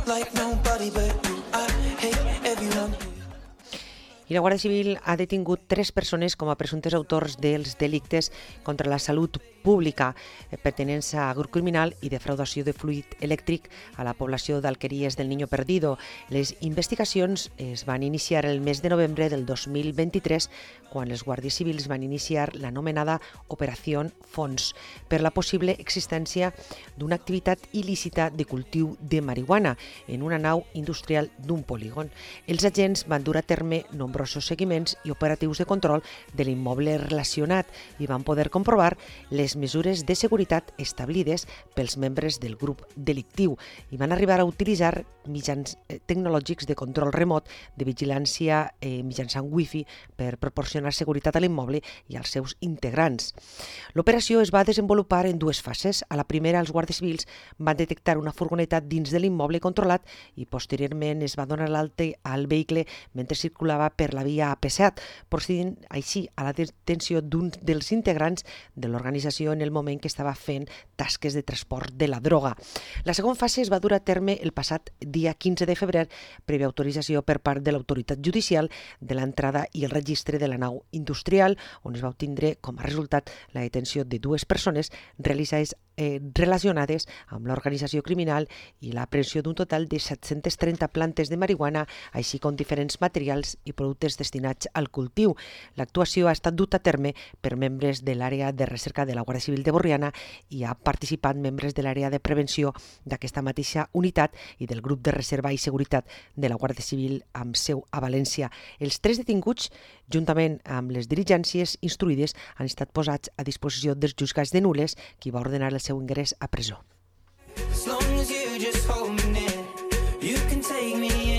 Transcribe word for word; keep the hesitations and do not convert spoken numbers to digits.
I la Guàrdia Civil ha detingut tres persones com a presumptes autors dels delictes contra la salut pública, pertenents a grup criminal i defraudació de fluid elèctric a la població d'Alqueries del Niño Perdido. Les investigacions es van iniciar el mes de novembre del dos mil vint-i-tres, quan els guàrdies civils van iniciar l'anomenada Operació Fons per la possible existència d'una activitat il·lícita de cultiu de marihuana en una nau industrial d'un polígon. Els agents van dur a terme nombrosos seguiments i operatius de control de l'immoble relacionat i van poder comprovar les mesures de seguretat establides pels membres del grup delictiu i van arribar a utilitzar mitjans tecnològics de control remot de vigilància eh, mitjançant wifi per proporcionar seguretat a l'immoble i als seus integrants. L'operació es va desenvolupar en dues fases. A la primera, els guàrdies civils van detectar una furgoneta dins de l'immoble controlat i posteriorment es va donar l'alta al vehicle mentre circulava per la via A P set, procedint així a la detenció d'un dels integrants de l'organització en el moment que estava fent tasques de transport de la droga. La segona fase es va dur a terme el passat dia quinze de febrer, prèvia autorització per part de l'autoritat judicial de l'entrada i el registre de la nau industrial, on es va obtindre com a resultat la detenció de dues persones realitzades eh, relacionades amb l'organització criminal i la prevenció d'un total de set-centes trenta plantes de marihuana, així com diferents materials i productes destinats al cultiu. L'actuació ha estat dut a terme per membres de l'àrea de recerca de la Guàrdia Civil de Borriana i ha participat membres de l'àrea de prevenció d'aquesta mateixa unitat i del grup de reserva i seguretat de la Guàrdia Civil amb seu a València. Els tres detinguts, juntament amb les diligències instruïdes, han estat posats a disposició dels jutjats de Nules, qui va ordenar el seu ingrés a presó. As long as you just hold me near, you can take me